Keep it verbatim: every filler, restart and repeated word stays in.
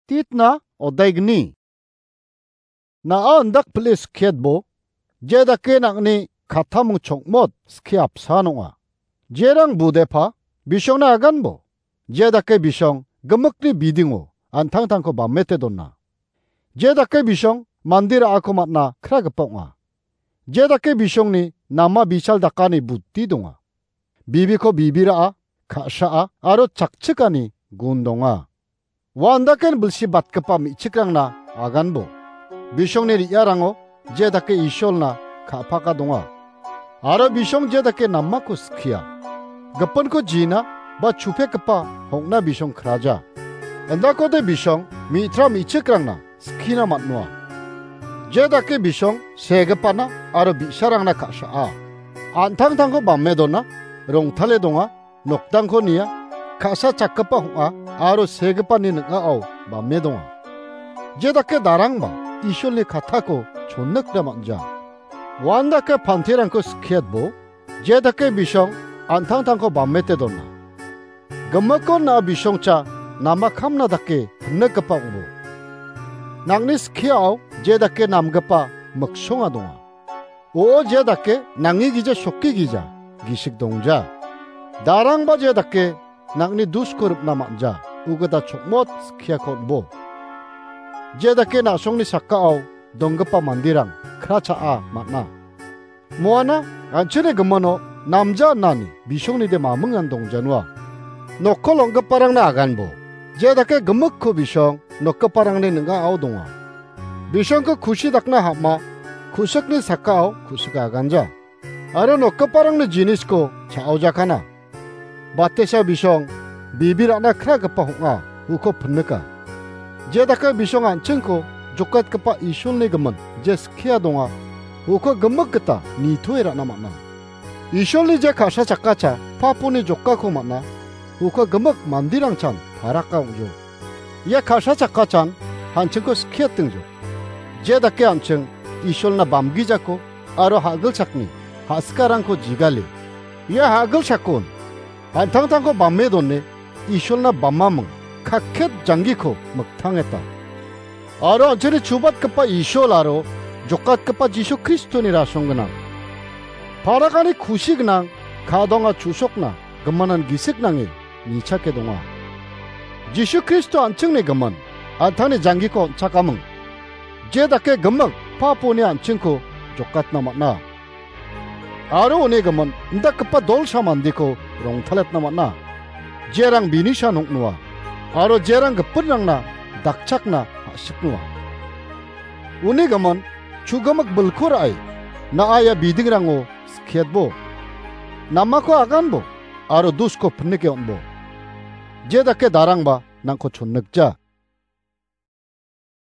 Titna odaigni. Na·a indak pile skietbo, je dake nang·ni kattaming chongmot skie apsan ong·a. Jerang budepa, bisongna aganbo, je dake bisong gimikni bidingo an·tangtangko bamete dona. Je dake bisong mande ra·ako man·a kragipa ong·a. Je dake bisongni nama bichal dakani buti donga. Bibiko bibi ra·a, ka·saa aro chakchikani gun donga. Ua andaken bilsi batgipa me·chikrangna aganbo. Bisongni re·arango je dake Isolna ka·paka donga. Aro bisong je dake namako skia. Gipinko jina ba chupekgipa hong·na bisong kraja. Indakode bisong mitra me·chikrangna skina man·noa. Je dake bisong segipana aro bi·sarangna ka·saa. An·tangtangko bame dona, rongtale donga, nokdangko nia, ka·sa chakgipa hong·a aro segipani ning·ao bame donga. Je dake darangba Isolni kattako chonnikna man·ja. Uandake pantirangko skietbo, je dake bisong an·tangtangko bamete dona. Gimikon na·a bisongcha nama kamna dake pinnikgipa ong·bo. Nang·ni skiao je dake namgipa miksonga donga. O je dake nangi gija soki gija gisik dongja. Darangba je dake nang·ni dusko ripna man·ja, ugita chokmot skiako on·bo. Je dake na·songni sakao donggipa manderang kra cha·a man·a. Moana an·chingni gimino namja nani bisongnide mamingan dongjanua. Nokko long·giparangna aganbo. Je dake gimikko bisong nokgiparangni ning·ao donga. Bisongko kusi dakna ham·a, ku·sikni sakao ku·sik aganja. Aro nokgiparangni jinisko cha·ojakana. Batesa bisong bibi ra·na kragipa hong·a, uko pinnika. Je dake bisong an·chingko jokatgipa Isolni gimin je skia donga, uko gimik gita nitoe ra·na man·a. Isolni je ka·sa chakkacha paponi jokako man·a, uko gimik manderangchan paraka ong·jo. Ia ka·sa chakkachan an·chingko skietingjo. Je dake an·ching Isolna bamgijako aro ha·gilchakni ha·sikarangko jigale. Ia ha·gilchakon an·tangtangko bame done Isolna bamaming kakket janggiko miktangeta. Aro an·chingni chubatgipa Isol aro jokatgipa Jisu Kristoni rasong gnang. Parakani kusi gnang ka·donga chu·sokna gimanan gisik nange nichake donga. Jisu Kristo an·chingni gimin an·tangni janggiko on·chakaming. Je dake gimik paponi an·chingko jokatna man·a. Aro uni gimin indakgipa dolsa mandeko rongtaletna man·a. Jerang bini san ong·noa. Aro jerang gipinrangna dakchakna ha·siknoa. Uni gimin chu·gimik bilko ra·e, na·a ia bidingrango skietbo. Namako aganbo, aro dusko pinike on·bo. Je dake darangba nangko chonnikja.